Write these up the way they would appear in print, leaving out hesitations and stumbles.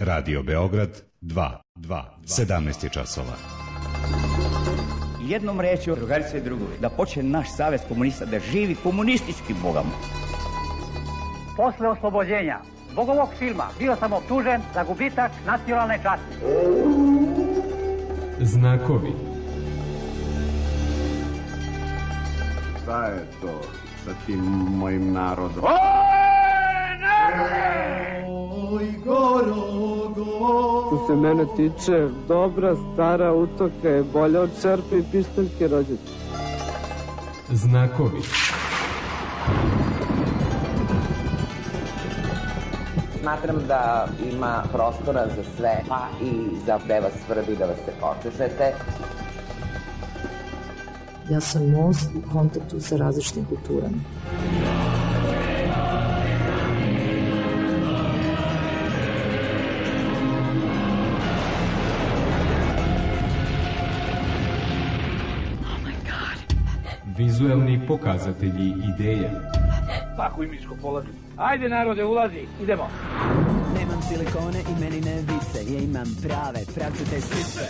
Radio Beograd 2, 17 je časova. Jednom rečju, drugarice i drugovi, da počne naš savez komunista da živi komunistički bogamo. Posle oslobođenja zbog ovog filma bio sam optužen za gubitak nacionalne časti. Znakovi. Šta je to sa tim mojim narodom? Oj, Što se mene tiče, dobra stara utoka je bolja od čerpe i pištaljke rođete. Znakovi. Smatram da ima prostora za sve, pa i za da vas svrbi, da vas se počešete. Ja sam most u kontaktu sa različitim kulturama. Vizuelni pokazatelji ideja. Pakuj miško, polazi. Ajde narode, ulazi, idemo. Nemam silikone i meni ne vise, ja imam prave, pravcate sise.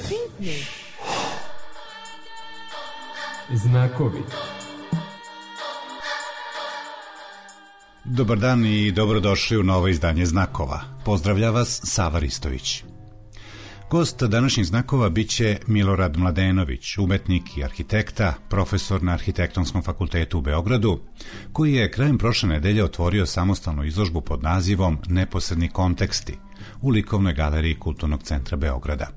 Znakovi. Dobar dan i dobrodošli u novo izdanje Znakova. Pozdravlja vas Sava Ristović. Gost današnjih Znakova biće Milorad Mladenović, umetnik i arhitekta, profesor na Arhitektonskom fakultetu u Beogradu, koji je krajem prošle nedelje otvorio samostalnu izložbu pod nazivom Neposredni konteksti u likovnoj galeriji Kulturnog centra Beograda.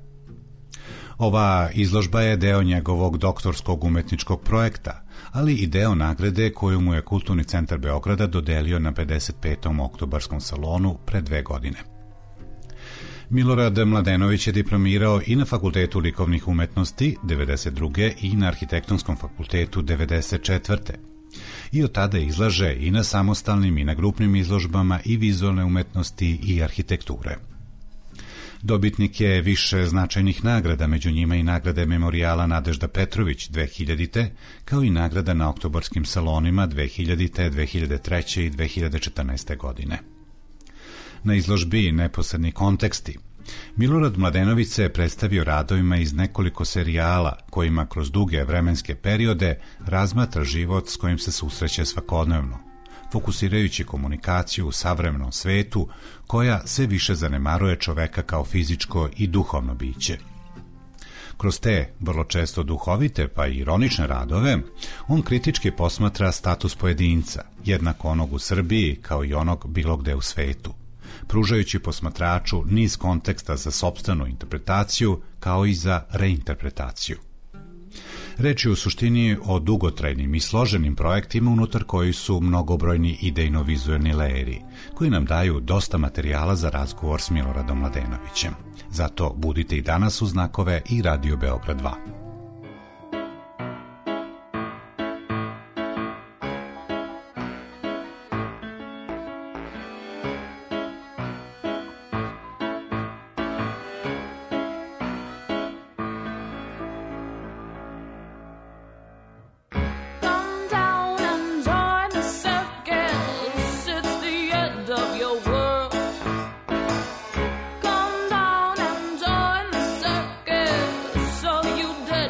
Ova izložba je deo njegovog doktorskog umetničkog projekta, ali i deo nagrade koju mu je Kulturni centar Beograda dodelio na 55. oktobarskom salonu pre 2 godine. Milorad Mladenović je diplomirao i na Fakultetu likovnih umetnosti 1992. i na Arhitektonskom fakultetu 1994. I od tada izlaže i na samostalnim i na grupnim izložbama i vizualne umetnosti i arhitekture. Dobitnik je više značajnih nagrada, među njima i nagrade Memorijala Nadežda Petrović 2000. kao i nagrada na oktobarskim salonima 2000., 2003. i 2014. godine. Na izložbi Neposredni konteksti Milorad Mladenović se predstavio radovima iz nekoliko serijala kojima kroz duge vremenske periode razmatra život s kojim se susreće svakodnevno, fokusirajući komunikaciju u savremenom svetu koja sve više zanemaruje čoveka kao fizičko i duhovno biće. Kroz te, vrlo često duhovite pa i ironične radove, on kritički posmatra status pojedinca, jednako onog u Srbiji kao i onog bilo gde u svetu, pružajući posmatraču niz konteksta za sopstvenu interpretaciju kao i za reinterpretaciju. Reč je u suštini o dugotrajnim i složenim projektima unutar koji su mnogobrojni idejno-vizuelni lejeri, koji nam daju dosta materijala za razgovor s Miloradom Mladenovićem. Zato budite i danas uz Znakove i Radio Beograd 2. You did.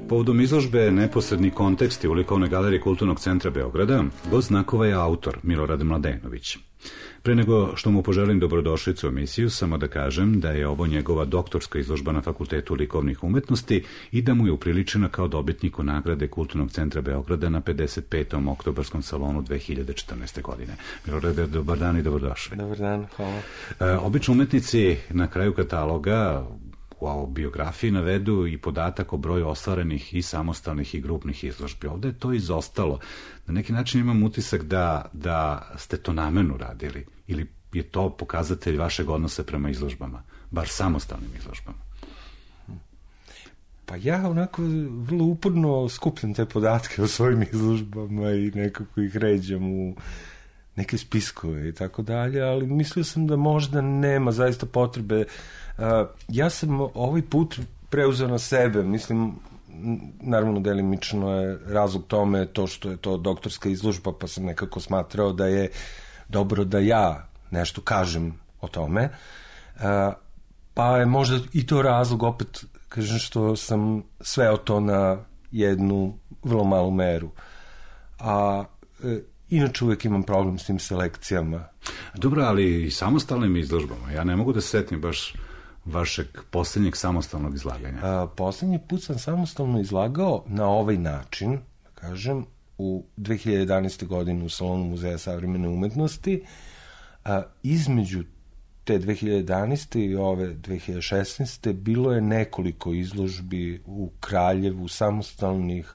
Povodom izložbe Neposredni konteksti u likovnoj galeriji Kulturnog centra Beograda, gost znakova je autor Milorad Mladenović. Pre nego što mu poželim dobrodošlicu u emisiju, samo da kažem da je ovo njegova doktorska izložba na Fakultetu likovnih umetnosti i da mu je upriličena kao dobitniku nagrade Kulturnog centra Beograda na 55. oktobarskom salonu 2014. godine. Milorade, dobar dan i dobrodošli. Dobar dan, hvala. Obično umetnici na kraju kataloga u biografiji navedu i podatak o broju ostvarenih i samostalnih i grupnih izložbi. Ovde je to izostalo. Na neki način imam utisak da ste to namerno radili ili je to pokazatelj vašeg odnosa prema izložbama, bar samostalnim izložbama? Pa ja onako vrlo uporno skupljam te podatke o svojim izložbama i nekako ih ređam u neke spiskove i tako dalje, ali mislio sam da možda nema zaista potrebe. Ja sam ovaj put preuzeo na sebe, mislim, naravno delimično je razlog tome to što je to doktorska izložba, pa sam nekako smatrao da je dobro da ja nešto kažem o tome, pa je možda i to razlog, opet kažem, što sam sveo to na jednu vrlo malu meru. A inače uvek imam problem s tim selekcijama. Dobro, ali i samostalnim izložbama. Ja ne mogu da se setim baš vašeg poslednjeg samostalnog izlaganja. Poslednji put sam samostalno izlagao na ovaj način, da kažem, u 2011. godini u Salonu Muzeja savremene umetnosti. Između te 2011. i ove 2016. bilo je nekoliko izložbi u Kraljevu, samostalnih,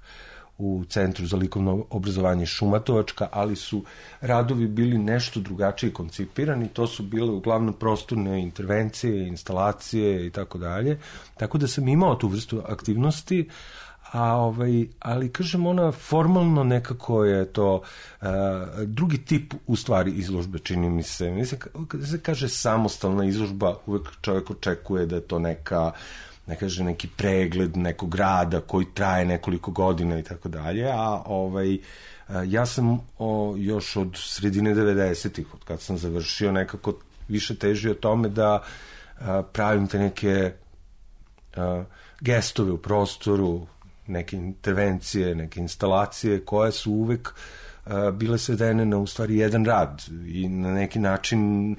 u Centru za likovno obrazovanje Šumatovačka, ali su radovi bili nešto drugačije koncipirani, to su bile uglavnom prostorne intervencije, instalacije i tako dalje, tako da sam imao tu vrstu aktivnosti, ali kažem, ona formalno nekako je to drugi tip u stvari izložbe, čini mi se. Mislim, kada se kaže samostalna izložba, uvek čovjek očekuje da je to neka, ne kaže, neki pregled nekog rada koji traje nekoliko godina i tako dalje, a ja sam još od sredine 90-ih, od kad sam završio, nekako više težio tome da pravim te neke gestove u prostoru, neke intervencije, neke instalacije koje su uvek bile svedene na u stvari jedan rad i na neki način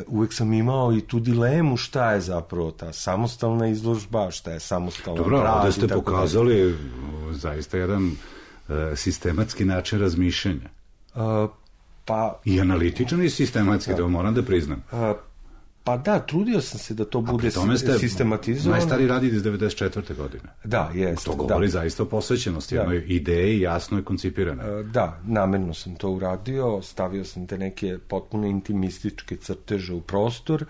uvek sam imao i tu dilemu šta je zapravo ta samostalna izložba, šta je samostalan rad. Dobro, ovde ste pokazali zaista jedan sistematski način razmišljanja. I analitičan i sistematski, da moram da priznam. Pa da, trudio sam se da to bude sistematizovano. Najstariji rad iz 94. godine. Da, jeste. To govori zaista o posvećenosti, jednoj ideji jasno je koncipirane. Da, namerno sam to uradio, stavio sam te neke potpuno intimističke crteže u prostor,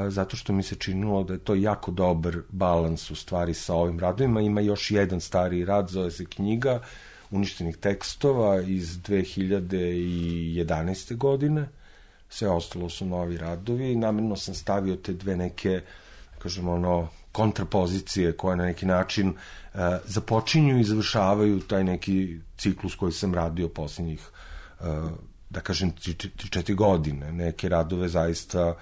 zato što mi se činilo da je to jako dobar balans u stvari sa ovim radovima. Ima još jedan stariji rad, zove se Knjiga uništenih tekstova iz 2011. godine. Sve ostalo su novi radovi. Namerno sam stavio te dve neke, kažemo, kontrapozicije koje na neki način započinju i završavaju taj neki ciklus koji sam radio posljednjih, da kažem, 3-4 godine. Neke radove zaista,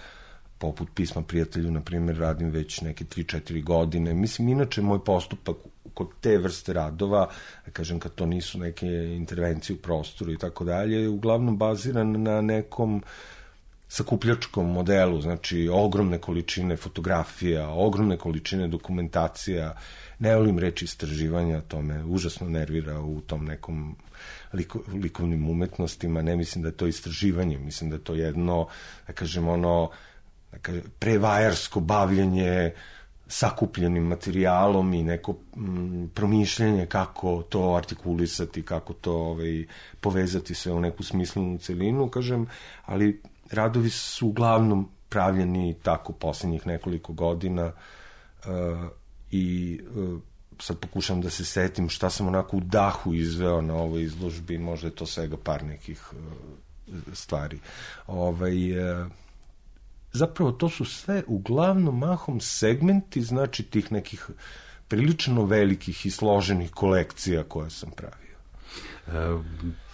poput Pisma prijatelju, na primjer, radim već neke 3-4 godine. Mislim, inače, moj postupak kod te vrste radova, da kažem, kad to nisu neke intervencije u prostoru i tako dalje, je uglavnom baziran na nekom sakupljačkom modelu, znači ogromne količine fotografija, ogromne količine dokumentacija. Ne volim reći istraživanja, to me užasno nervira u tom nekom likovnim umetnostima. Ne mislim da je to istraživanje, mislim da je to jedno, da kažem, prevajarsko bavljenje sakupljenim materijalom i neko promišljanje kako to artikulisati, kako to povezati sve u neku smislenu celinu, kažem, ali radovi su uglavnom pravljeni tako posljednjih nekoliko godina i sad pokušam da se setim šta sam onako u dahu izveo na ovoj izložbi, možda je to svega par nekih stvari. Zapravo to su sve uglavnom mahom segmenti, znači tih nekih prilično velikih i složenih kolekcija koje sam pravio.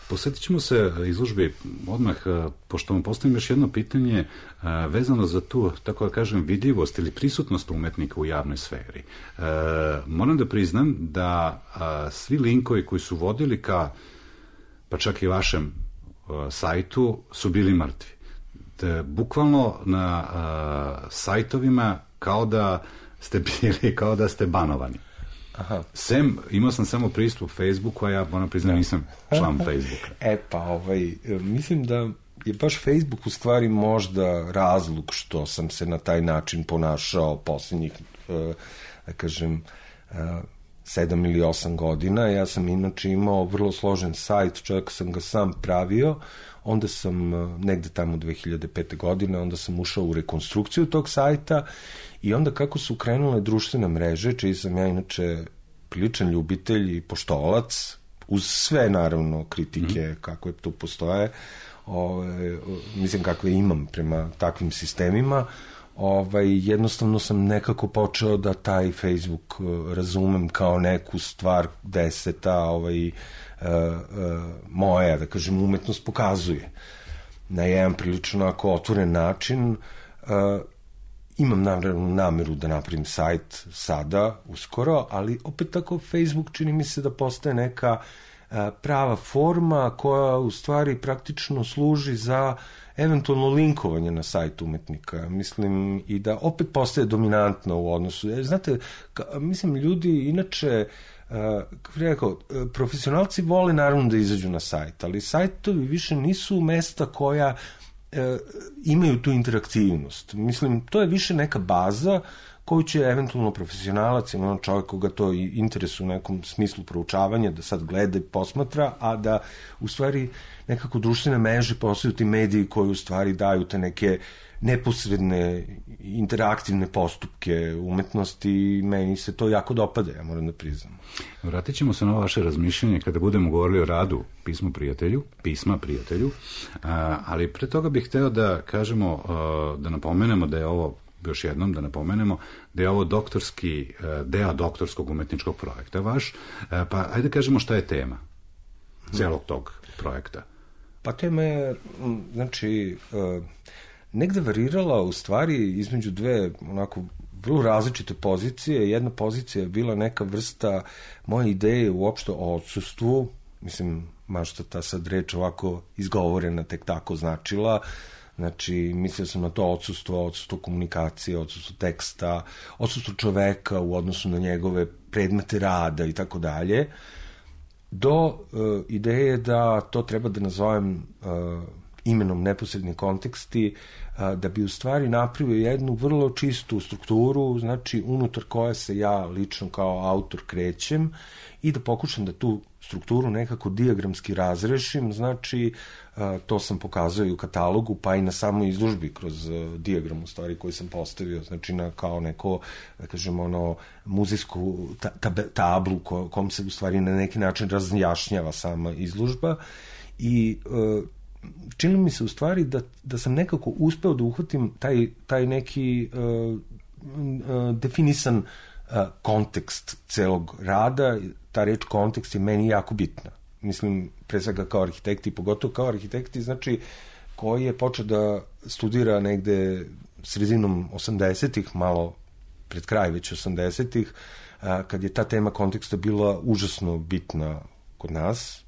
Posjetit ćemo se izložbi odmah, pošto vam postavim još jedno pitanje vezano za tu, tako da kažem, vidljivost ili prisutnost umetnika u javnoj sferi. Moram da priznam da svi linkovi koji su vodili ka, pa čak i vašem sajtu, su bili mrtvi. Bukvalno na sajtovima kao da ste bili, kao da ste banovani. Aha. Imao sam samo pristup Facebooku, a ja moram priznam nisam član Facebooka. Mislim da je baš Facebook u stvari možda razlog što sam se na taj način ponašao posljednjih, da kažem, 7 ili 8 godina. Ja sam inače imao vrlo složen sajt, čak sam ga sam pravio, onda sam negde tamo 2005. godine, onda sam ušao u rekonstrukciju tog sajta i onda kako su krenule društvene mreže, čiji sam ja inače priličan ljubitelj i poštovalac, uz sve naravno kritike kakve tu postoje, mislim kakve imam prema takvim sistemima, jednostavno sam nekako počeo da taj Facebook razumem kao neku stvar gde se ta moja, da kažem, umetnost pokazuje na jedan prilično ako otvoren način. Imam nameru da napravim sajt sada, uskoro, ali opet tako Facebook čini mi se da postaje neka prava forma koja u stvari praktično služi za eventualno linkovanje na sajt umetnika. Mislim i da opet postaje dominantna u odnosu. Znate, mislim ljudi inače, kako bih rekao, profesionalci vole naravno da izađu na sajt, ali sajtovi više nisu mesta koja imaju tu interaktivnost. Mislim, to je više neka baza koju će eventualno profesionalac ili ono čovjek koga to interesuje u nekom smislu proučavanja, da sad gleda i posmatra, a da u stvari nekako društvene mreže postaju ti mediji koji u stvari daju te neke neposredne interaktivne postupke umetnosti i meni se to jako dopada, ja moram da priznam. Vratit ćemo se na ovo vaše razmišljanje kada budemo govorili o radu pisma prijatelju, ali pre toga bih hteo da kažemo, da napomenemo da je ovo, još jednom da napomenemo, da je ovo deo doktorskog umetničkog projekta vaš, pa ajde kažemo šta je tema celog tog projekta. Pa tema je, znači, negde varirala u stvari između dve onako vrlo različite pozicije. Jedna pozicija je bila neka vrsta moje ideje uopšte o odsustvu, mislim, mašta ta sad reč ovako izgovorena tek tako značila. Znači, mislio sam na to odsustvo komunikacije, odsustvo teksta, odsustvo čoveka u odnosu na njegove predmete rada i tako dalje, do ideje da to treba da nazovem imenom neposredni konteksti, da bi u stvari napravio jednu vrlo čistu strukturu, znači unutar koje se ja lično kao autor krećem i da pokušam da tu strukturu nekako dijagramski razrešim, znači to sam pokazao i u katalogu, pa i na samoj izložbi kroz dijagram u stvari koji sam postavio, znači na kao neko, da kažem, muzejsku tablu kom se u stvari na neki način razjašnjava sama izložba i čini mi se u stvari da sam nekako uspeo da uhvatim taj neki definisan kontekst celog rada. Ta reč kontekst je meni jako bitna. Mislim, pre svega kao arhitekti, pogotovo kao arhitekti, znači, koji je počeo da studira negde sredinom 80-ih, malo pred kraj već 80-ih, kad je ta tema konteksta bila užasno bitna kod nas.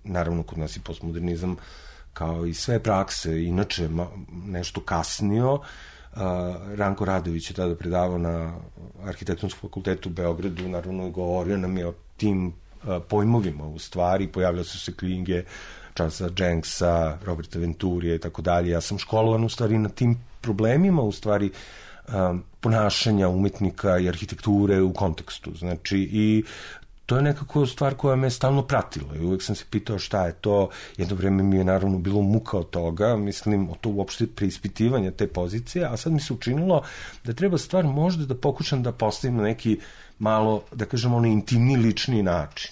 Naravno, kod nas i postmodernizam, kao i sve prakse, inače nešto kasnio. Ranko Radović je tada predavao na Arhitektonskom fakultetu u Beogradu, naravno govorio nam je o tim pojmovima u stvari, pojavljaju se knjige Charlesa Jenksa, Roberta Venturija i tako dalje. Ja sam školovan u stvari na tim problemima u stvari ponašanja umetnika i arhitekture u kontekstu. Znači, i to je nekako stvar koja me stalno pratila i uvek sam se pitao šta je to. Jedno vreme mi je naravno bilo muka od toga, mislim, od to uopšte preispitivanja te pozicije, a sad mi se učinilo da treba stvar možda da pokušam da postavim na neki malo, da kažem, intimni, lični način.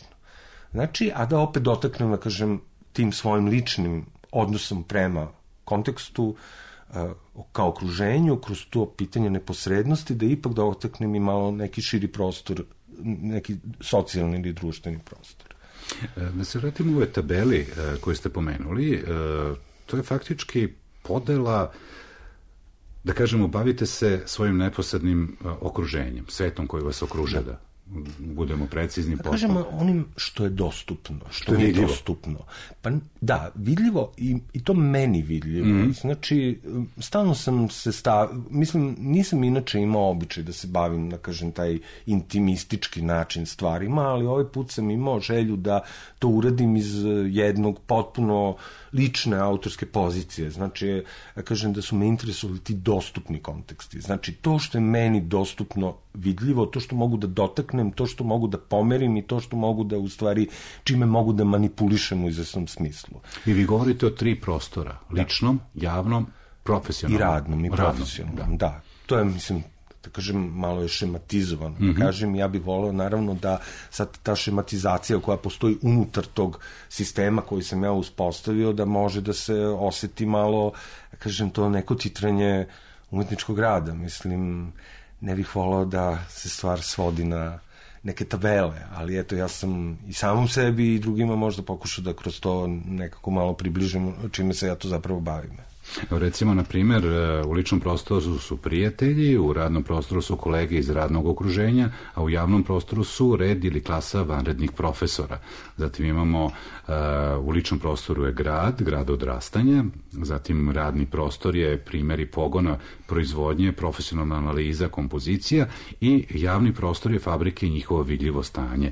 Znači, a da opet dotaknem, da kažem, tim svojim ličnim odnosom prema kontekstu, kao okruženju, kroz to pitanje neposrednosti, da ipak dotaknem i malo neki širi prostor, neki socijalni ili društveni prostor. Da se vratimo u ove tabeli koje ste pomenuli, to je faktički podela, da kažemo, bavite se svojim neposrednim okruženjem, svetom koji vas okruža, da budemo precizni. Da kažemo onim što je dostupno, što je dostupno. Pa da, vidljivo i to meni vidljivo. Znači, stalno sam se mislim, nisam inače imao običaj da se bavim, da kažem, taj intimistički način stvarima, ali ovaj put sam imao želju da to uradim iz jednog potpuno lične autorske pozicije. Znači, da kažem da su me interesovali ti dostupni konteksti. Znači, to što je meni dostupno vidljivo, to što mogu da dotaknem, to što mogu da pomerim i to što mogu da, u stvari, čime mogu da manipulišem u izvesnom smislu. I vi govorite o 3 prostora, ličnom, javnom, profesionalnom. I radnom, i profesionalnom, da. To je, mislim, da kažem, malo je šematizovano. Da kažem, ja bih voleo, naravno, da sad ta šematizacija koja postoji unutar tog sistema koji sam ja uspostavio, da može da se oseti malo, da kažem, to neko titranje umetničkog rada. Mislim, ne bih voleo da se stvar svodi na neke tabele, ali eto, ja sam i samom sebi i drugima možda pokušao da kroz to nekako malo približim čime se ja to zapravo bavim. Recimo, na primjer, u ličnom prostoru su prijatelji, u radnom prostoru su kolege iz radnog okruženja, a u javnom prostoru su red ili klasa vanrednih profesora. Zatim imamo, u ličnom prostoru je grad odrastanja, zatim radni prostor je primjeri pogona, proizvodnje, profesionalna analiza, kompozicija i javni prostor je fabrike i njihovo vidljivo stanje.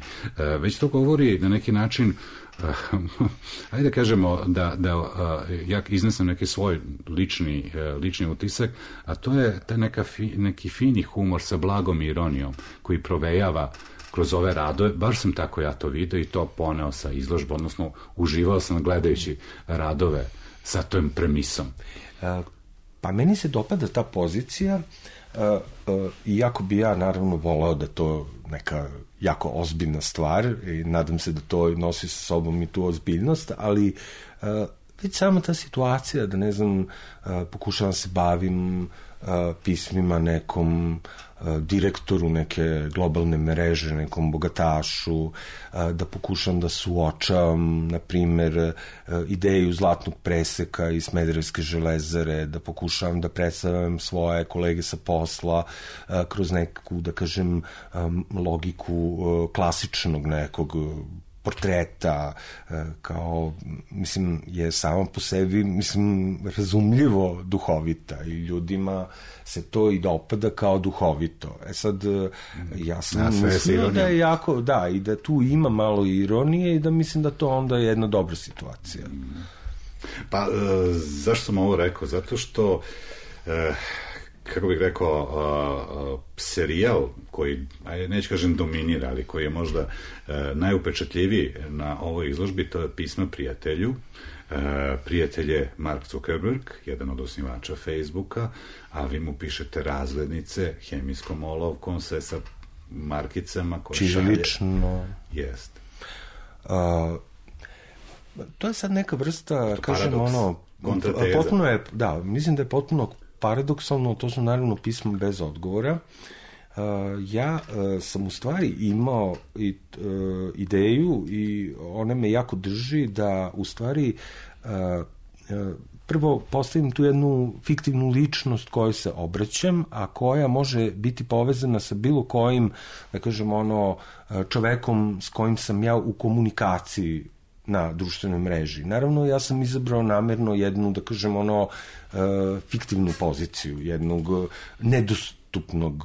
Već to govori na neki način, ajde kažemo da ja iznesem neki svoj lični utisak, a to je taj neki fini humor sa blagom ironijom koji provejava kroz ove radove, baš sam tako ja to vidio i to poneo sa izložbom, odnosno uživao sam gledajući radove sa tom premisom. Pa meni se dopada ta pozicija, iako bi ja naravno voleo da to neka jako ozbiljna stvar i nadam se da to nosi sa sobom i tu ozbiljnost, ali već sama ta situacija da, ne znam, pokušavam se bavim pismima nekom direktoru neke globalne mreže, nekom bogatašu, da pokušam da suočavam, na primer, ideju zlatnog preseka iz Smederevske železare, da pokušavam da predstavljam svoje kolege sa posla kroz neku, da kažem, logiku klasičnog nekog portreta, kao, mislim, je samo po sebi, mislim, razumljivo duhovita i ljudima se to i dopada kao duhovito. Sad, ja sam mislio da je jako, da, i da tu ima malo ironije i da mislim da to onda je jedna dobra situacija. Pa, zašto sam ovo rekao? Zato što kako bih rekao, serijal koji, neću kažem dominira, ali koji je možda najupečatljiviji na ovoj izložbi, to je Pisma prijatelju. Prijatelj je Mark Zuckerberg, jedan od osnivača Facebooka, a vi mu pišete razglednice hemijskom olovkom, sve sa markicama koje šalje. Čirilično. Jeste. To je sad neka vrsta, kažem, kontrateza. Potpuno je, da, mislim da je potpuno paradoksalno, to su naravno pisma bez odgovora. Ja sam u stvari imao ideju i ona me jako drži da u stvari prvo postavim tu jednu fiktivnu ličnost kojoj se obraćam, a koja može biti povezana sa bilo kojim, da kažem, čovekom s kojim sam ja u komunikaciji na društvenoj mreži. Naravno, ja sam izabrao namerno jednu, da kažem, fiktivnu poziciju, jednog nedostupnog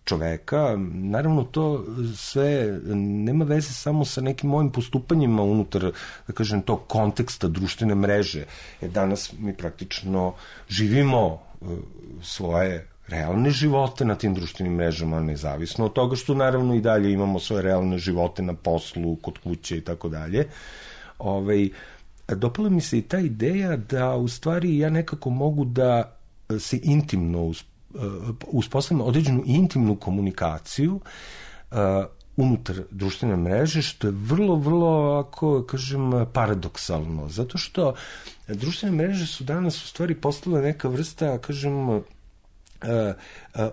čoveka. Naravno, to sve nema veze samo sa nekim mojim postupanjima unutar, da kažem, tog konteksta društvene mreže. Jer danas mi praktično živimo svoje realne živote na tim društvenim mrežama, nezavisno od toga što naravno i dalje imamo svoje realne živote na poslu, kod kuće i tako dalje. Dopala mi se i ta ideja da u stvari ja nekako mogu da se intimno uspostavim određenu intimnu komunikaciju unutar društvene mreže, što je vrlo, vrlo, ako kažem, paradoksalno. Zato što društvene mreže su danas u stvari postale neka vrsta, kažem,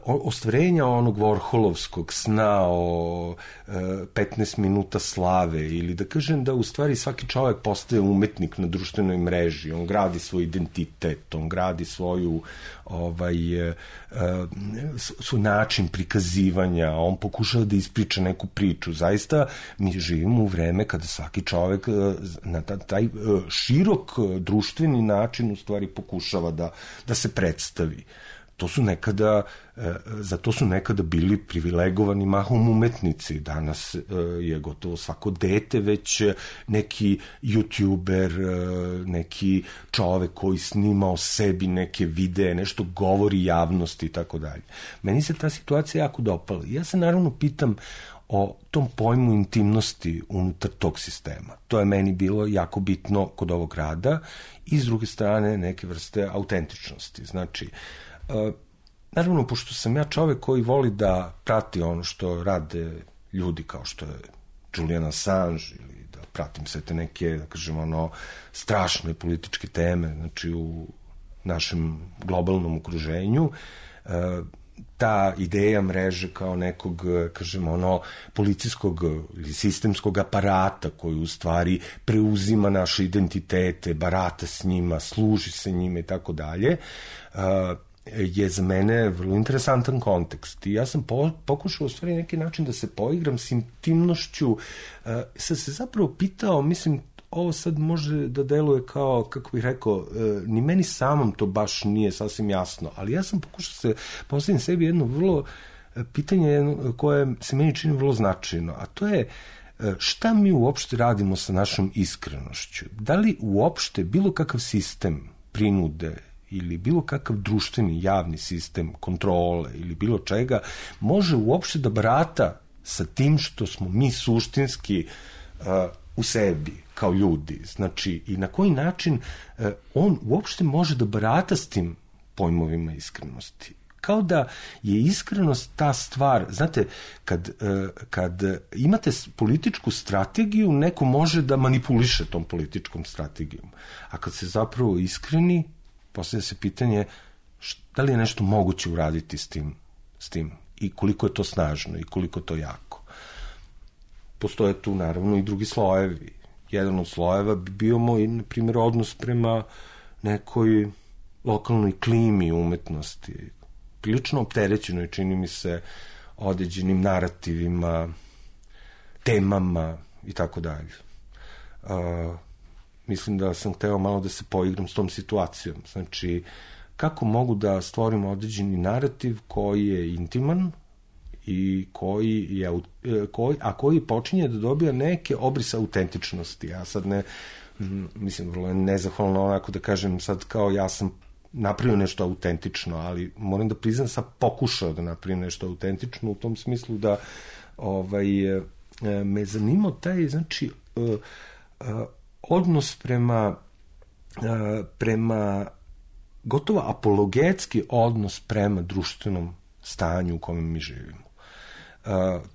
ostvarenja onog Vorholovskog sna o 15 minuta slave, ili da kažem da u stvari svaki čovjek postaje umetnik na društvenoj mreži, on gradi svoj identitet, on gradi svoj način prikazivanja, on pokušava da ispriča neku priču. Zaista mi živimo u vreme kada svaki čovjek na taj širok društveni način u stvari pokušava da se predstavi. Za to su nekada bili privilegovani mahom umetnici. Danas je gotovo svako dete već neki youtuber, neki čovek koji snima o sebi neke videe, nešto govori javnosti i tako dalje. Meni se ta situacija jako dopala. Ja se naravno pitam o tom pojmu intimnosti unutar tog sistema. To je meni bilo jako bitno kod ovog rada i s druge strane neke vrste autentičnosti. Znači, naravno, pošto sam ja čovek koji voli da prati ono što rade ljudi kao što je Julian Assange, ili da pratim sve te neke, da kažem, strašne političke teme, znači u našem globalnom okruženju, ta ideja mreže kao nekog, kažem, policijskog ili sistemskog aparata koji u stvari preuzima naše identitete, barata s njima, služi se njima i tako dalje, je za mene vrlo interesantan kontekst. I ja sam pokušao u stvari neki način da se poigram s intimnošću. Sam se zapravo pitao, mislim, ovo sad može da deluje kao, kako bih rekao, ni meni samom to baš nije sasvim jasno, ali ja sam pokušao se postaviti sebi jedno vrlo pitanje koje se meni čini vrlo značajno, a to je šta mi uopšte radimo sa našom iskrenošću? Da li uopšte bilo kakav sistem prinude ili bilo kakav društveni javni sistem kontrole ili bilo čega može uopšte da barata sa tim što smo mi suštinski u sebi kao ljudi, znači, i na koji način on uopšte može da barata s tim pojmovima iskrenosti. Kao da je iskrenost ta stvar, znate, kad imate političku strategiju, neko može da manipuliše tom političkom strategijom, a kad se zapravo iskreni, postavlja se pitanje da li je nešto moguće uraditi s tim i koliko je to snažno i koliko je to jako. Postoje tu naravno i drugi slojevi. Jedan od slojeva bi bio moj, na primjer, odnos prema nekoj lokalnoj klimi umetnosti, prilično opterećenoj, čini mi se, određenim narativima, temama i tako dalje. Mislim da sam hteo malo da se poigram s tom situacijom. Znači, kako mogu da stvorim određeni narativ koji je intiman i koji počinje da dobija neke obrise autentičnosti. Ja sad mislim, vrlo je nezahvalno onako da kažem sad kao ja sam napravio nešto autentično, ali moram da priznam sam pokušao da napravim nešto autentično u tom smislu da me zanimao taj, znači, odnos prema gotovo apologetski odnos prema društvenom stanju u kome mi živimo.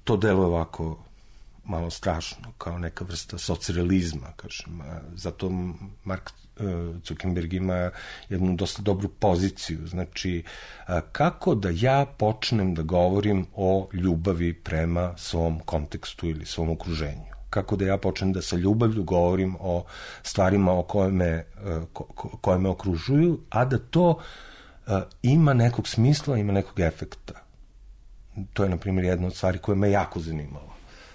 To deluje ovako malo strašno, kao neka vrsta socrealizma, kažem. Zato Mark Zuckerberg ima jednu dosta dobru poziciju. Znači, kako da ja počnem da govorim o ljubavi prema svom kontekstu ili svom okruženju? Kako da ja počnem da sa ljubavlju govorim o stvarima koje me okružuju, a da to ima nekog smisla, ima nekog efekta. To je, na primjer, jedna od stvari koja me jako zanimala.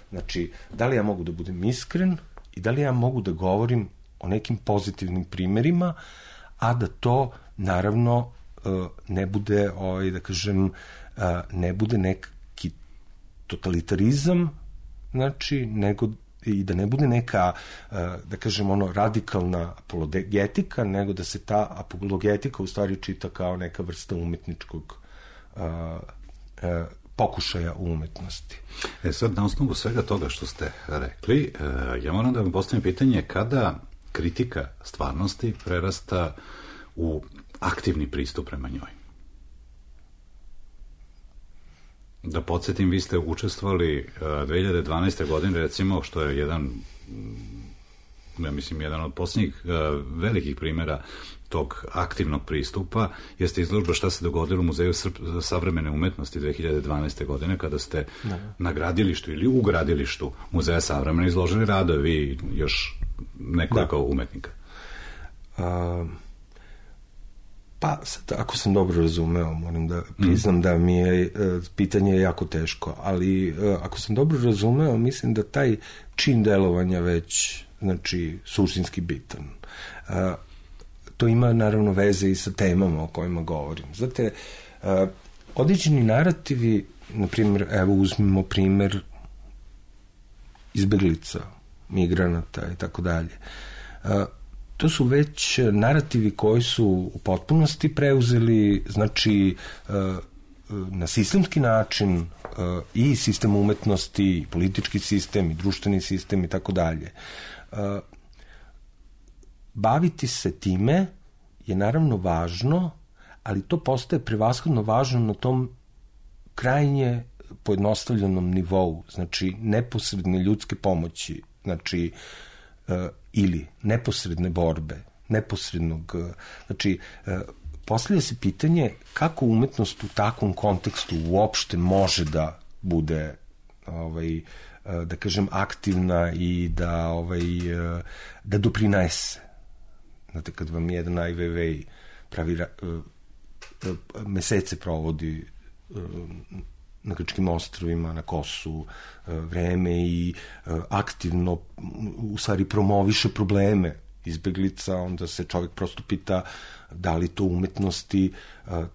Znači, da li ja mogu da budem iskren i da li ja mogu da govorim o nekim pozitivnim primerima, a da to, naravno, ne bude, da kažem, ne bude neki totalitarizam, znači, nego i da ne bude neka, da kažem, radikalna apologetika, nego da se ta apologetika u stvari čita kao neka vrsta umetničkog pokušaja u umetnosti. Sad, na osnovu svega toga što ste rekli, ja moram da vam postavim pitanje kada kritika stvarnosti prerasta u aktivni pristup prema njoj. Da podsjetim, vi ste učestvovali 2012. godine, recimo, što je jedan ja mislim, jedan od posljednjih velikih primjera tog aktivnog pristupa jeste izložba Šta se dogodilo u Muzeju savremene umetnosti 2012. godine, kada ste na gradilištu ili u gradilištu Muzeja savremene izložili radove, vi još nekoliko umetnika. Pa, sad, ako sam dobro razumeo, moram da priznam da mi je pitanje jako teško, ali ako sam dobro razumeo, mislim da taj čin delovanja već, znači, suštinski bitan. To ima, naravno, veze i sa temama o kojima govorim. Znate, određeni narativi, na primjer, evo, uzmimo primjer izbeglica, migranata i tako dalje, to su već narativi koji su u potpunosti preuzeli, znači, na sistemski način i sistem umetnosti, i politički sistem, i društveni sistem i tako dalje. Baviti se time je naravno važno, ali to postaje prevashodno važno na tom krajnje pojednostavljenom nivou, znači neposredne ljudske pomoći, znači ili neposredne borbe, neposrednog, znači postavlja se pitanje kako umetnost u takvom kontekstu uopšte može da bude da kažem aktivna i da doprinese. Znate, kad vam jedan Ai Weiwei pravi mesece provodi na Grčkim ostrvima, na Kosu, vreme i aktivno u stvari promoviše probleme izbeglica, onda se čovjek prosto pita da li to umetnosti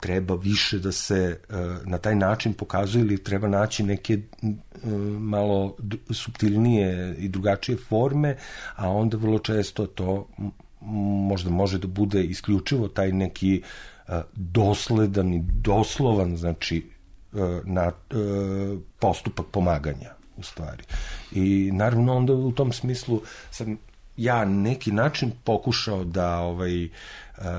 treba više da se na taj način pokazuje ili treba naći neke malo suptilnije i drugačije forme, a onda vrlo često to možda može da bude isključivo taj neki dosledan i doslovan, znači, na postupak pomaganja, u stvari. I naravno onda u tom smislu sam ja neki način pokušao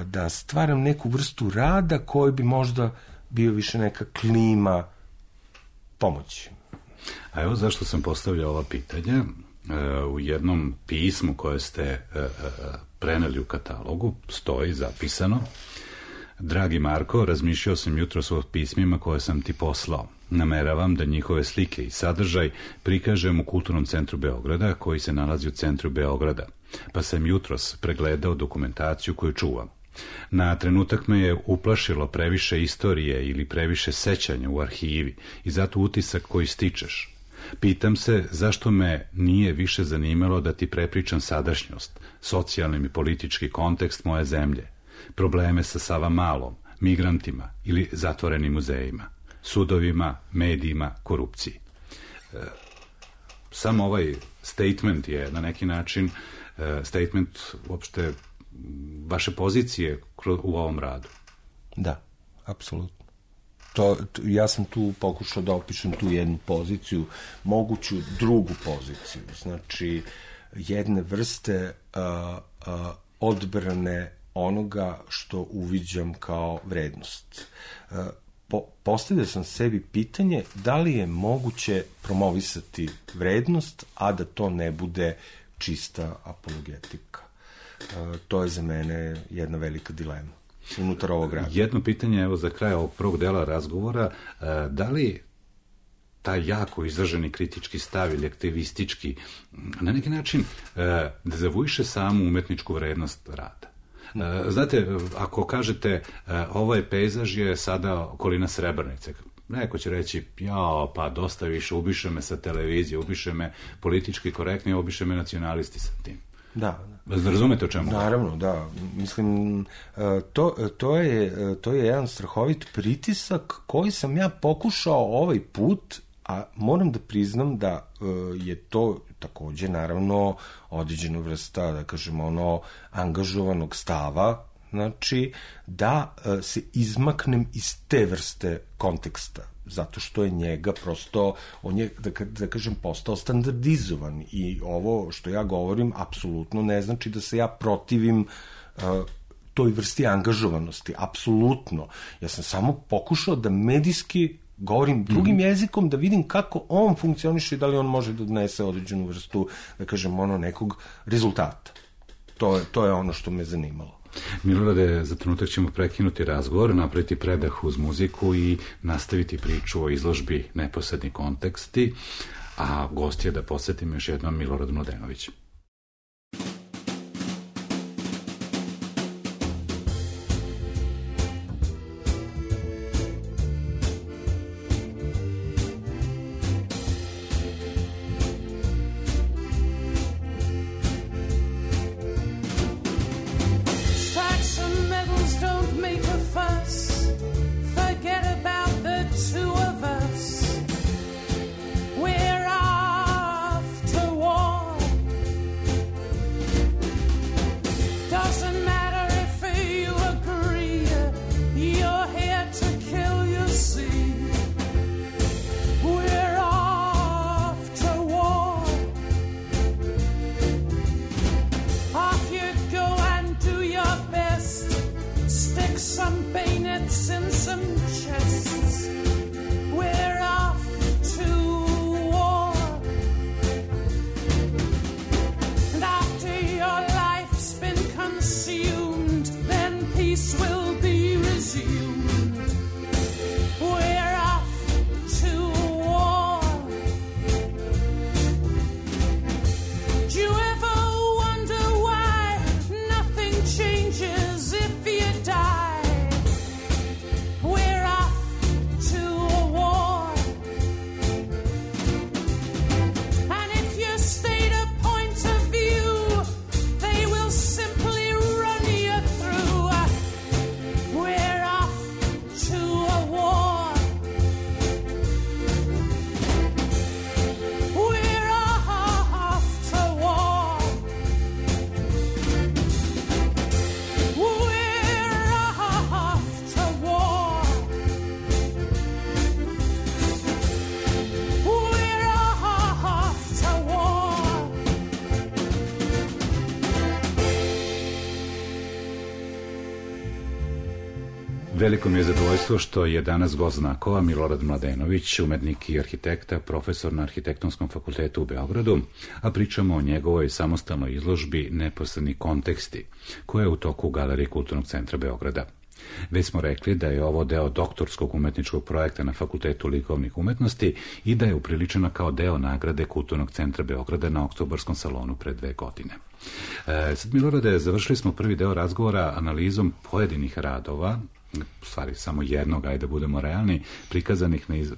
da stvaram neku vrstu rada koji bi možda bio više neka klima pomoći. A evo zašto sam postavljao ova pitanja. U jednom pismu koje ste preneli u katalogu stoji zapisano: Dragi Marko, razmišljao sam jutros o pismima koje sam ti poslao. Nameravam da njihove slike i sadržaj prikažem u Kulturnom centru Beograda, koji se nalazi u centru Beograda, pa sam jutros pregledao dokumentaciju koju čuvam. Na trenutak me je uplašilo previše istorije ili previše sećanja u arhivi i zato utisak koji stičeš. Pitam se zašto me nije više zanimalo da ti prepričam sadašnjost, socijalni i politički kontekst moje zemlje, probleme sa Savamalom, migrantima ili zatvorenim muzejima, sudovima, medijima, korupciji. Samo ovaj statement je na neki način statement uopšte vaše pozicije u ovom radu. Da, apsolutno. Ja sam tu pokušao da opišem tu jednu poziciju, moguću drugu poziciju, znači jedne vrste odbrane onoga što uviđam kao vrednost. Postavio sam sebi pitanje da li je moguće promovisati vrednost, a da to ne bude čista apologetika. To je za mene jedna velika dilema unutar ovog rada. Jedno pitanje, evo za kraj ovog prvog dela razgovora, da li taj jako izraženi kritički stav ili aktivistički na neki način dezavuiše samu umetničku vrednost rada? Znate, ako kažete ovaj pejzaž je sada okolina Srebrenice, neko će reći, pa dosta više, ubiše me sa televizije, ubiše me politički korektni, ubiše me nacionalisti sa tim. Da. Razumete o čemu? Naravno, da. Mislim, to je jedan strahovit pritisak koji sam ja pokušao ovaj put, a moram da priznam da je to takođe, naravno, određena vrsta, da kažemo, angažovanog stava, znači, da se izmaknem iz te vrste konteksta, zato što je njega prosto, on je, da kažem, postao standardizovan i ovo što ja govorim apsolutno ne znači da se ja protivim toj vrsti angažovanosti, apsolutno. Ja sam samo pokušao da medijski govorim drugim jezikom, da vidim kako on funkcioniše i da li on može da odnese određenu vrstu, da kažem, nekog rezultata. To je ono što me zanimalo. Milorade, za trenutak ćemo prekinuti razgovor, napraviti predah uz muziku i nastaviti priču o izložbi Neposredni konteksti, a gost je, da podsjetim još jednom, Milorad Mladenović. Veliko mi je zadovoljstvo što je danas gost Znakova Milorad Mladenović, umetnik i arhitekta, profesor na Arhitektonskom fakultetu u Beogradu, a pričamo o njegovoj samostalnoj izložbi Neposredni konteksti, koja je u toku u Galeriji Kulturnog centra Beograda. Već smo rekli da je ovo deo doktorskog umetničkog projekta na Fakultetu likovnih umetnosti i da je upriličena kao deo nagrade Kulturnog centra Beograda na Oktobarskom salonu pre 2 godine. Sad, Milorade, završili smo prvi deo razgovora analizom pojedinih radova, u stvari samo jednog, ajde da budemo realni,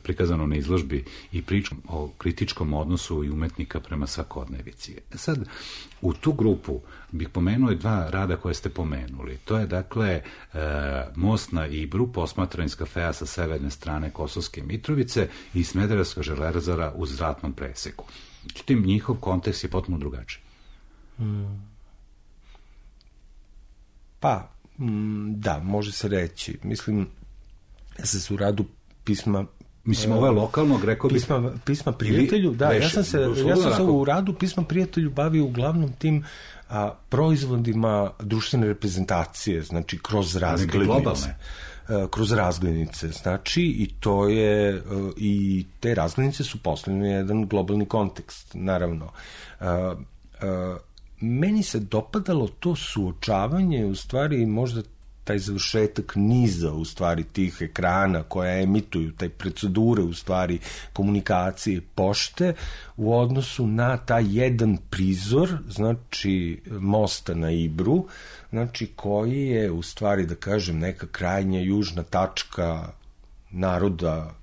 prikazano na izložbi i pričom o kritičkom odnosu i umetnika prema svakodnevici. Sad, u tu grupu bih pomenuo 2 rada koje ste pomenuli. To je, dakle, Most na Ibru, posmatran iz kafeja sa severne strane Kosovske Mitrovice i Smederevska železara u zratnom preseku. Međutim, njihov kontekst je potpuno drugačiji. Pa, da, može se reći. Mislim, ja sam se u radu pisma... Mislim, ovo je lokalnog, rekao bih... Pisma prijatelju, da, ja sam se u radu pisma prijatelju bavio uglavnom tim proizvodima društvene reprezentacije, znači kroz razglednice. Kroz razglednice, znači, i to je, i te razglednice su postavljene jedan globalni kontekst, naravno. Meni se dopadalo to suočavanje, u stvari možda taj završetak niza, u stvari tih ekrana koja emituju, taj procedure, u stvari komunikacije pošte u odnosu na taj jedan prizor, znači Mosta na Ibru, znači koji je u stvari, da kažem, neka krajnja južna tačka naroda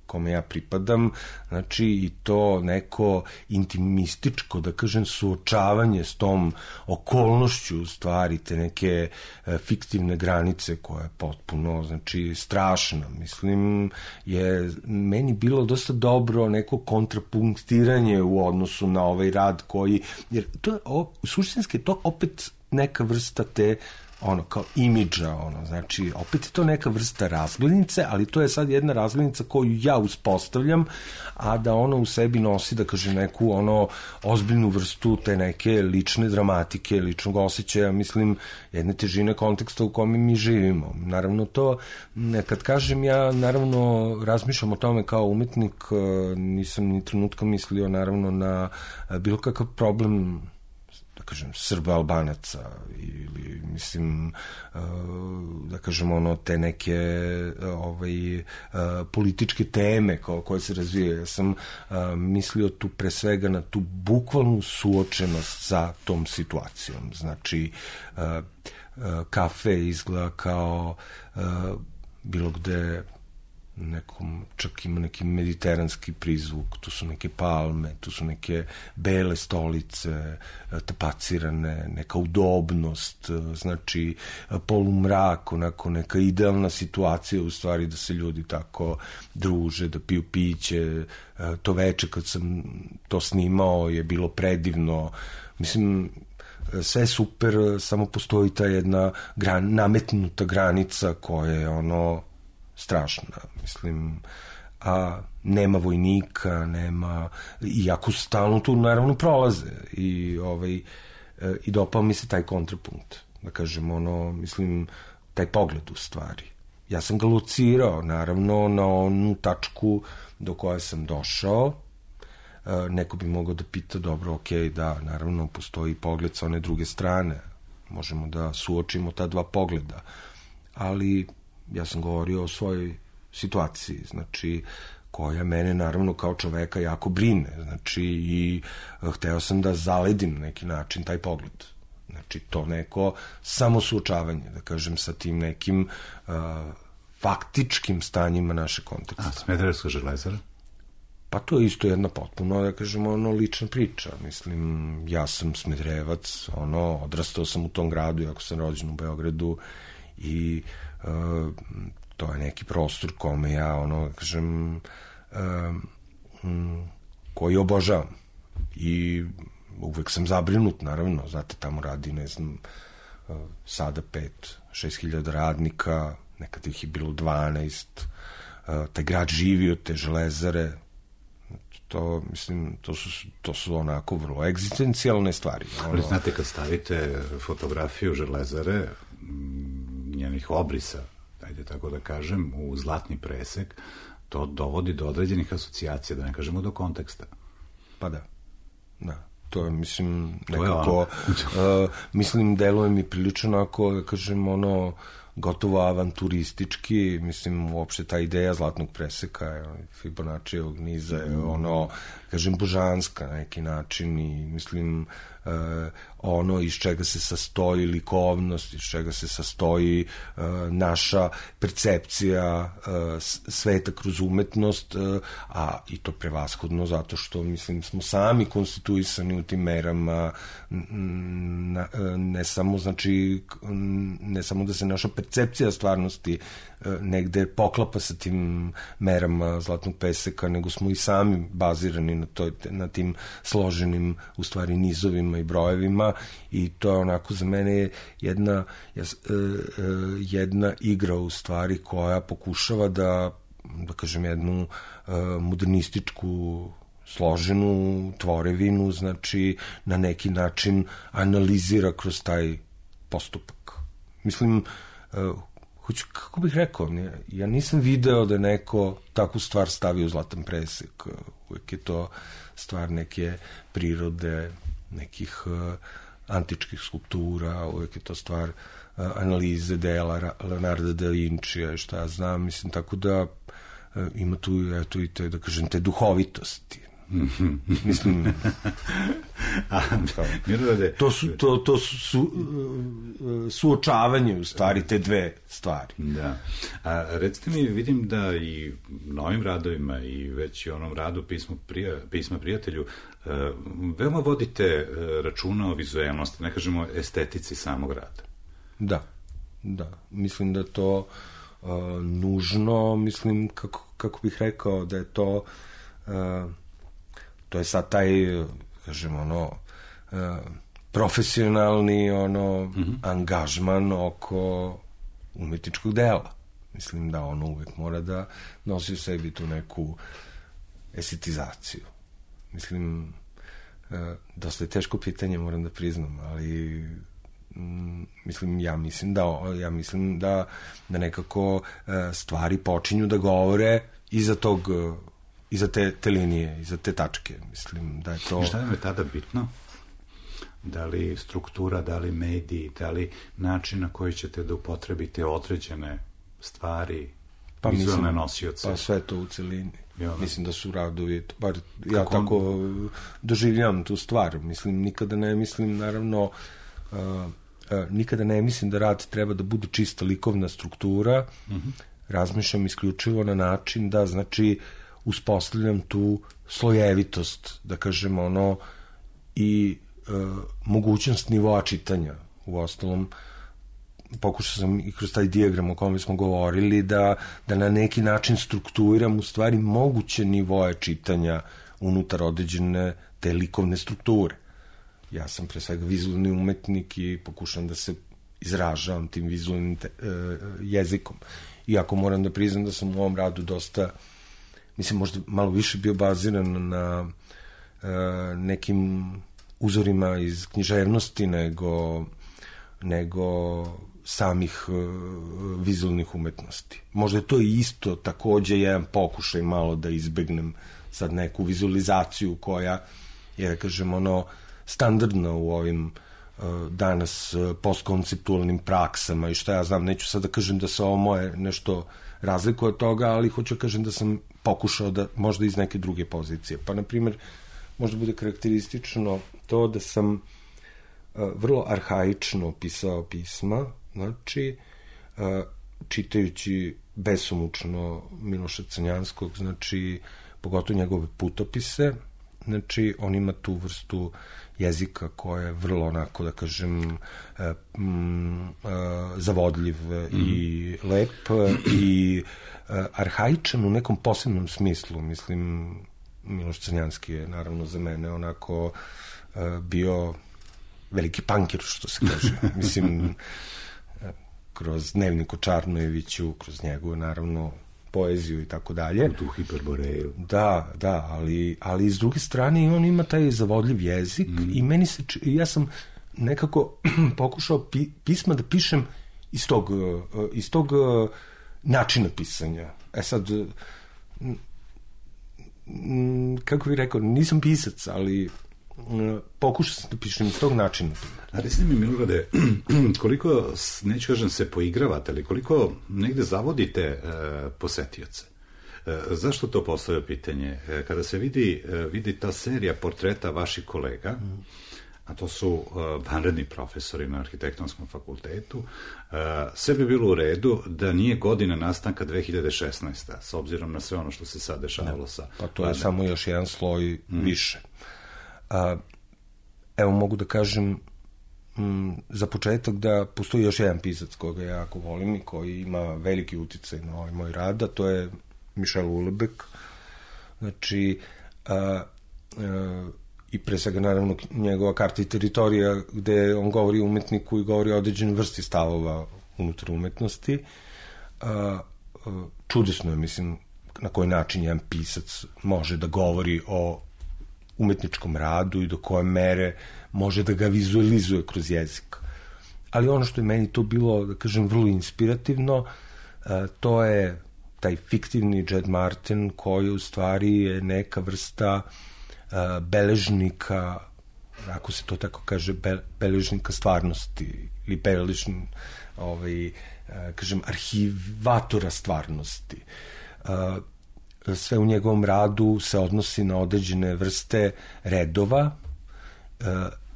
kome ja pripadam, znači i to neko intimističko, da kažem, suočavanje s tom okolnošću, u stvari, te neke fiktivne granice koja je potpuno, znači, strašna. Mislim, je meni bilo dosta dobro neko kontrapunktiranje u odnosu na ovaj rad koji, jer to je, suštinski, to opet neka vrsta te ono, kao imidža, ono, znači, opet je to neka vrsta razglednice, ali to je sad jedna razglednica koju ja uspostavljam, a da ona u sebi nosi, da kaže, neku, ono, ozbiljnu vrstu te neke lične dramatike, ličnog osjećaja, mislim, jedne težine konteksta u kome mi živimo. Naravno, to, kad kažem, ja, naravno, razmišljam o tome kao umetnik, nisam ni trenutka mislio, naravno, na bilo kakav problem, da kažem, Srba, Albanaca ili, mislim, da kažem, ono, te neke političke teme koje se razvijaju. Ja sam mislio tu pre svega na tu bukvalnu suočenost sa tom situacijom. Znači, kafe izgleda kao bilo gde nekom, čak ima neki mediteranski prizvuk, tu su neke palme, tu su neke bele stolice, tapacirane, neka udobnost, znači polumrak, onako neka idealna situacija u stvari da se ljudi tako druže, da piju piće. To veče kad sam to snimao je bilo predivno, mislim, sve je super, samo postoji ta jedna nametnuta granica koja je ono strašna, mislim, a nema vojnika, nema, iako stalno tu naravno prolaze i dopao mi se taj kontrapunkt, da kažem, ono, mislim, taj pogled u stvari. Ja sam ga locirao, naravno, na onu tačku do koje sam došao. Neko bi mogao da pita, dobro, okej, da, naravno, postoji pogled sa one druge strane, možemo da suočimo ta dva pogleda, ali ja sam govorio o svojoj situaciji, znači, koja mene naravno kao čoveka jako brine, znači, i hteo sam da zaledim neki način taj pogled, znači, to neko samosuočavanje, da kažem, sa tim nekim faktičkim stanjima naše konteksta. A Smederevska železara? Pa to je isto jedna potpuno, da kažem, ono, lična priča, mislim, ja sam Smederevac, ono, odrastao sam u tom gradu, iako sam rođen u Beogradu, i to je neki prostor kome ja, ono, kažem, koji obožavam i uvek sam zabrinut, naravno, znate, tamo radi, ne znam, sada 5-6 hiljada radnika, nekad ih je bilo 12, taj grad živi od te železare, to, mislim, to su onako vrlo egzistencijalne stvari. Ali znate, kad stavite fotografiju železare, njenih obrisa, ajde tako da kažem, u zlatni presek, to dovodi do određenih asocijacija, da ne kažemo do konteksta. Pa da, to je, mislim, nekako, mislim, deluje mi prilično onako, da kažem, ono, gotovo avanturistički, mislim, uopšte ta ideja zlatnog preseka, Fibonaccijevog niza je, ono, kažem, božanska na neki način i, mislim, ono iz čega se sastoji likovnost, iz čega se sastoji naša percepcija sveta kroz umetnost, a i to prevashodno zato što, mislim, smo sami konstituisani u tim merama, ne samo, znači, ne samo da se naša percepcija stvarnosti negde poklapa sa tim merama zlatnog peseka, nego smo i sami bazirani na tim složenim, u stvari, nizovima i brojevima, i to je onako za mene jedna igra, u stvari, koja pokušava da kažem, jednu modernističku složenu tvorevinu, znači, na neki način analizira kroz taj postupak. Mislim, kako bih rekao, ja nisam video da neko takvu stvar stavi u zlatan presek. Uvijek je to stvar neke prirode, nekih antičkih skulptura, uvijek je to stvar analize dela Leonarda da Vincija i šta ja znam, mislim, tako da ima tu, eto, i te, da kažem, te duhovitosti. Mislim, to su suočavanje, u stvari, te dve stvari. Da. A recite mi, vidim da i novim radovima i već i onom radu Pisma prijatelju veoma vodite računa o vizuelnosti, ne kažemo estetici samog rada. Da, mislim da to nužno, mislim, kako bih rekao, da je to je sad taj, kažem, ono, profesionalni angažman oko umetničkog dela. Mislim da ono uvek mora da nosi u sebi tu neku estetizaciju. Mislim, dosta je teško pitanje, moram da priznam, ali ja mislim da nekako stvari počinju da govore iza te linije, iza te tačke. Mislim da je to... Šta je tada bitno? Da li struktura, da li mediji, da li način na koji ćete da upotrebite određene stvari, vizualne nosioce? Pa sve to u celini. Mislim da su radovi, bar ja tako doživljam tu stvar. Mislim, nikada ne mislim, naravno, nikada ne mislim da rad treba da bude čista likovna struktura. Razmišljam isključivo na način da, znači, uspostavljam tu slojevitost, da kažem, i mogućnost nivoa čitanja. U ostalom, pokušao sam i kroz taj dijagram o kome smo govorili da na neki način strukturiram u stvari moguće nivoje čitanja unutar određene te likovne strukture. Ja sam pre svega vizualni umetnik i pokušam da se izražavam tim vizualnim jezikom. Iako moram da priznam da sam u ovom radu dosta, mislim, možda malo više bio baziran na nekim uzorima iz književnosti nego samih vizualnih umetnosti. Možda je to isto takođe jedan pokušaj malo da izbegnem sad neku vizualizaciju koja je, da kažem, standardna u ovim danas postkonceptualnim praksama i šta ja znam, neću sad da kažem da se ovo moje nešto razlikuje od toga, ali hoću da kažem da sam pokušao da možda iz neke druge pozicije. Pa, na primjer, možda bude karakteristično to da sam vrlo arhaično pisao pisma, znači, čitajući besomučno Miloša Crnjanskog, znači, pogotovo njegove putopise, znači, on ima tu vrstu jezika koja je vrlo, onako, da kažem, zavodljiv i lep i arhaičan u nekom posebnom smislu. Mislim, Miloš Crnjanski je, naravno, za mene onako bio veliki pankir, što se kaže. Mislim, kroz Dnevnik o Čarnojeviću, kroz njegovu, naravno, poeziju i tako dalje. U tu hiperboreju. Da, ali s druge strane on ima taj zavodljiv jezik i meni se, ja sam nekako pokušao pisma da pišem iz tog načina pisanja. Sad, kako bih rekao, nisam pisac, ali pokušao sam da pišem iz tog načina. A recite mi, Milorade, koliko, neću kažem se poigravate, ali koliko negde zavodite posetioce? Zašto to postavlja pitanje? Kada se vidi ta serija portreta vaših kolega, a to su vanredni profesori na Arhitektonskom fakultetu, sve bi bilo u redu da nije godina nastanka 2016. s obzirom na sve ono što se sad dešavalo sa... Pa to je samo još jedan sloj više. Evo, mogu da kažem za početak da postoji još jedan pisac koga ja jako volim i koji ima veliki uticaj na ovaj moj rad, a to je Michel Houellebecq. Znači, i pre svega, naravno, njegova Karta i teritorija, gde on govori o umetniku i govori o određenoj vrsti stavova unutar umetnosti. Čudesno je, mislim, na koji način jedan pisac može da govori o umetničkom radu i do koje mere može da ga vizualizuje kroz jezik. Ali ono što je meni to bilo, da kažem, vrlo inspirativno, to je taj fiktivni Jed Martin koji u stvari je neka vrsta beležnika, ako se to tako kaže, beležnika stvarnosti ili kažem, arhivatora stvarnosti. Sve u njegovom radu se odnosi na određene vrste redova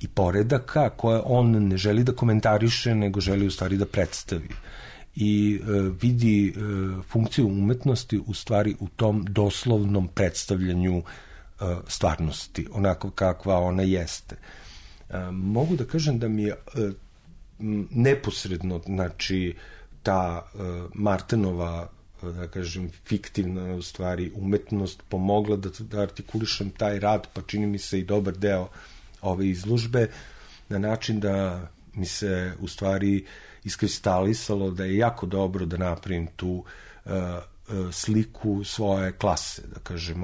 i poredaka koje on ne želi da komentariše, nego želi u stvari da predstavi. I vidi funkciju umetnosti u stvari u tom doslovnom predstavljanju stvarnosti, onako kakva ona jeste. Mogu da kažem da mi je neposredno, znači, ta Martinova, da kažem, fiktivna u stvari umetnost pomogla da artikulišem taj rad, pa čini mi se i dobar deo ove izložbe, na način da mi se u stvari iskristalisalo da je jako dobro da napravim tu sliku svoje klase, da kažem,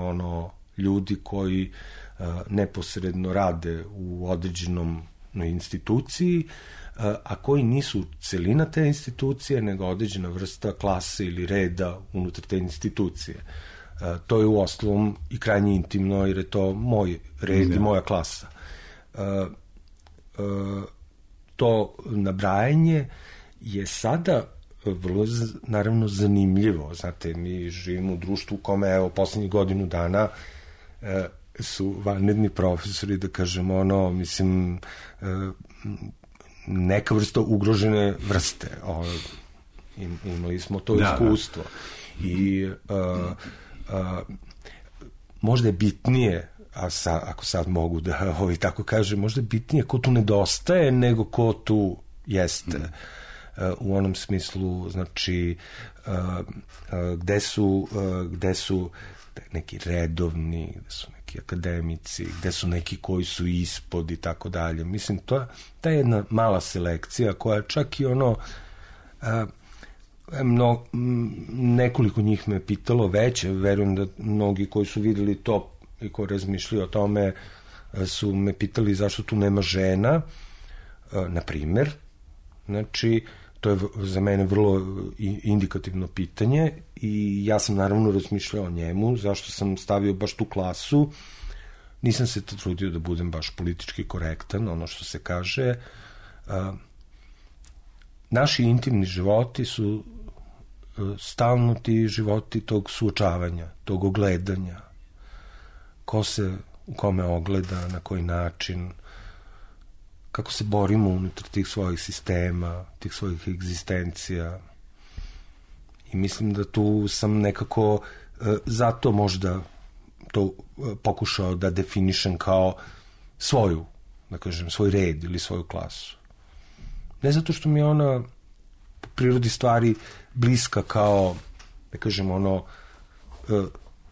ljudi koji neposredno rade u određenom instituciji, a koji nisu celina te institucije, nego određena vrsta klase ili reda unutar te institucije. To je u osnovom i krajnje intimno, jer je to moj red i moja klasa. To nabrajanje je sada vrlo, naravno, zanimljivo. Znate, mi živimo u društvu u kome, evo, poslednjih godinu dana su vanredni profesori, da kažem, mislim, neka vrsta ugrožene vrste. Imali smo to iskustvo. I možda je bitnije, ako sad mogu da tako kažem, možda je bitnije ko tu nedostaje nego ko tu jeste. U onom smislu, znači, gde su neki redovni, gde su neki akademici, gde su neki koji su ispod i tako dalje. Mislim, ta je jedna mala selekcija koja čak i nekoliko njih me pitalo već, verujem da mnogi koji su videli to i koji razmišljaju o tome su me pitali zašto tu nema žena, na primer. Znači, to je za mene vrlo indikativno pitanje i ja sam naravno razmišljao o njemu, zašto sam stavio baš tu klasu. Nisam se trudio da budem baš politički korektan, ono što se kaže. Naši intimni životi su stalno ti životi tog suočavanja, tog ogledanja. Ko se u kome ogleda, na koji način, kako se borimo unutar tih svojih sistema, tih svojih egzistencija. I mislim da tu sam nekako zato možda to pokušao da definišem kao svoju, da kažem, svoj red ili svoju klasu. Ne zato što mi je ona po prirodi stvari bliska kao, da kažem,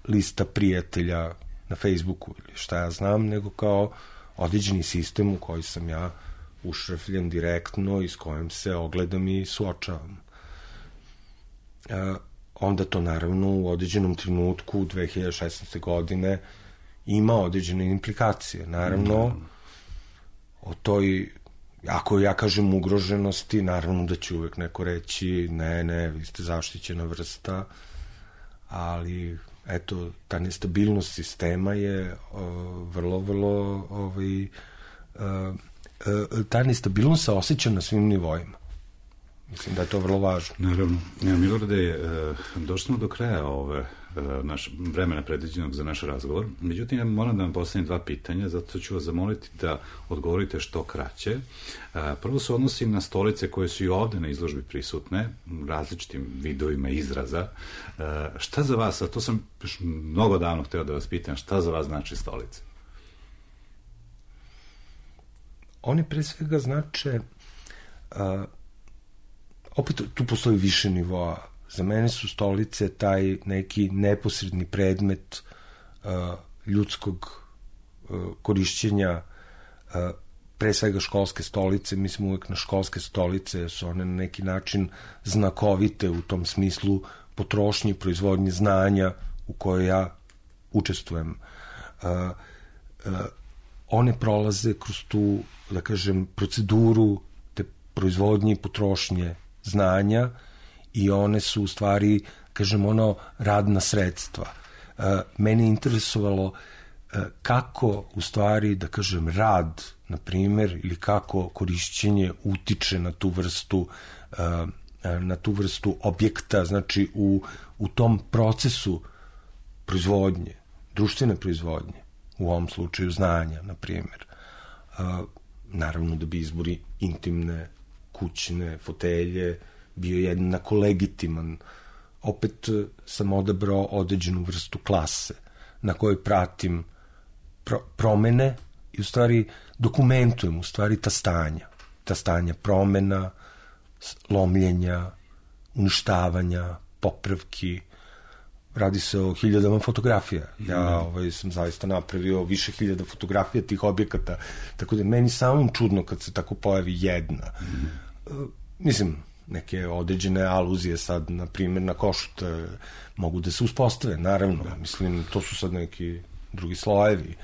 lista prijatelja na Facebooku ili šta ja znam, nego kao određeni sistem u koji sam ja ušrafljen direktno i s kojim se ogledam i suočavam. Onda to naravno u određenom trenutku 2016. godine ima određene implikacije. Naravno, o toj, ako ja kažem ugroženosti, naravno da će uvek neko reći ne, vi ste zaštićena vrsta, ali eto, ta nestabilnost sistema je vrlo ta nestabilnost se osjeća na svim nivoima. Mislim da je to vrlo važno. Naravno. Milorade, došli smo do kraja vremena predviđenog za naš razgovor. Međutim, ja moram da vam postavim 2 pitanja, zato ću vas zamoliti da odgovorite što kraće. Prvo se odnosim na stolice koje su i ovde na izložbi prisutne, različitim vidovima izraza. Šta za vas, a to sam mnogo davno hteo da vas pitam, šta za vas znači stolice? Oni pre svega znače, opet tu postoji više nivoa. Za mene su stolice taj neki neposredni predmet ljudskog korišćenja, pre svega školske stolice. Mislim uvek na školske stolice, su one na neki način znakovite u tom smislu potrošnje i proizvodnje znanja u kojoj ja učestvujem. One prolaze kroz tu, da kažem, proceduru te proizvodnje i potrošnje znanja i one su u stvari, kažem, radna sredstva. Mene je interesovalo kako u stvari, da kažem, rad, na primer, ili kako korišćenje utiče na tu vrstu objekta, znači u tom procesu proizvodnje, društvene proizvodnje, u ovom slučaju znanja, na primjer. Naravno da bi izbori intimne, kućne, fotelje bio jednako legitiman. Opet sam odabrao određenu vrstu klase na kojoj pratim promene i u stvari dokumentujem u stvari ta stanja promena, lomljenja, uništavanja, popravki, radi se o 1000 fotografija. Ja sam zaista napravio više 1000 fotografija tih objekata, tako da meni samom čudno kad se tako pojavi jedna. Mislim, neke određene aluzije sad, na primjer, na Košut mogu da se uspostave, naravno. Mislim, to su sad neki drugi slojevi.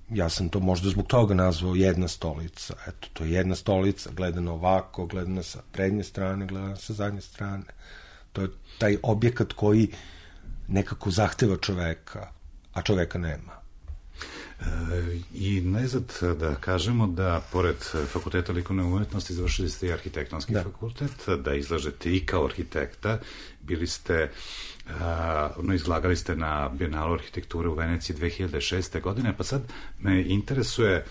Ja sam to možda zbog toga nazvao jedna stolica. Eto, to je jedna stolica, gledana ovako, gledana sa prednje strane, gledana sa zadnje strane. To je taj objekat koji nekako zahteva čoveka, a čoveka nema. I najzad da kažemo da pored Fakulteta likovne umetnosti završili ste i arhitektonski fakultet, da izlažete i kao arhitekta, bili ste, izlagali ste na Bijenalu arhitekture u Veneciji 2006. godine, pa sad me interesuje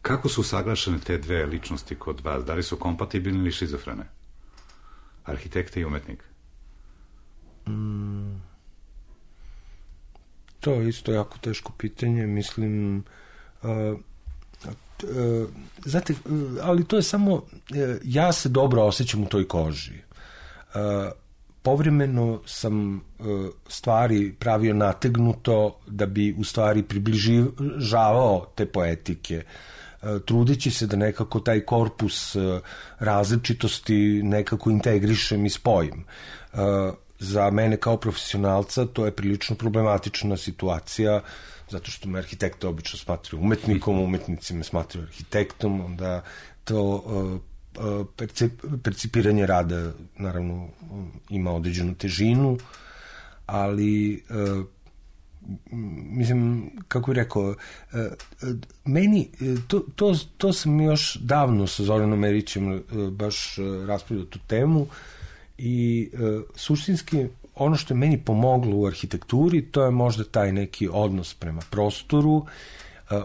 kako su usaglašene te dve ličnosti kod vas, da li su kompatibilne ili šizofrene? Arhitekta i umetnik? To je isto jako teško pitanje, mislim, znate, ali to je samo, ja se dobro osjećam u toj koži. Povremeno sam stvari pravio nategnuto da bi u stvari približavao te poetike, trudeći se da nekako taj korpus različitosti nekako integrišem i spojim. Za mene kao profesionalca to je prilično problematična situacija, zato što me arhitekte obično smatraju umetnikom, umetnici me smatraju arhitektom, onda to percipiranje rada naravno ima određenu težinu, ali mislim, kako bih rekao, meni, to sam još davno sa Zoranom Erićem baš raspravljao tu temu, i suštinski ono što je meni pomoglo u arhitekturi, to je možda taj neki odnos prema prostoru,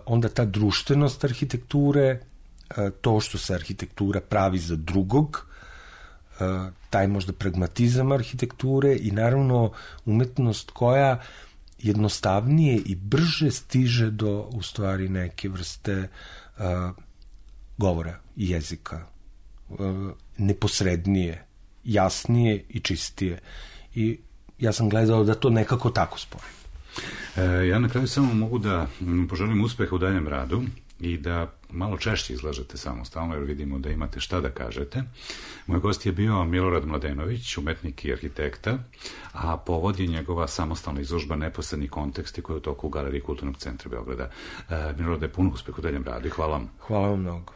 onda ta društvenost arhitekture, to što se arhitektura pravi za drugog, taj možda pragmatizam arhitekture i naravno umetnost koja jednostavnije i brže stiže do u stvari neke vrste govora i jezika, neposrednije, jasnije i čistije. I ja sam gledao da to nekako tako spojim. Ja na kraju samo mogu da poželim uspeha u daljem radu i da malo češće izlažete samostalno, jer vidimo da imate šta da kažete. Moj gost je bio Milorad Mladenović, umetnik i arhitekta, a povod je njegova samostalna izložba Neposredni konteksti koja je u toku u Galeriji Kulturnog centra Beograda. Milorade, puno uspeha u daljem radu i hvala vam. Hvala vam mnogo.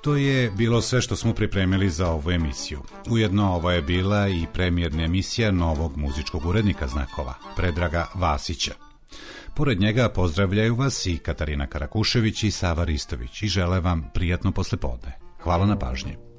To je bilo sve što smo pripremili za ovu emisiju. Ujedno ovo je bila i premijerna emisija novog muzičkog urednika Znakova, Predraga Vasića. Pored njega pozdravljaju vas i Katarina Karakušević i Sava Ristović i žele vam prijatno poslepodne. Hvala na pažnji.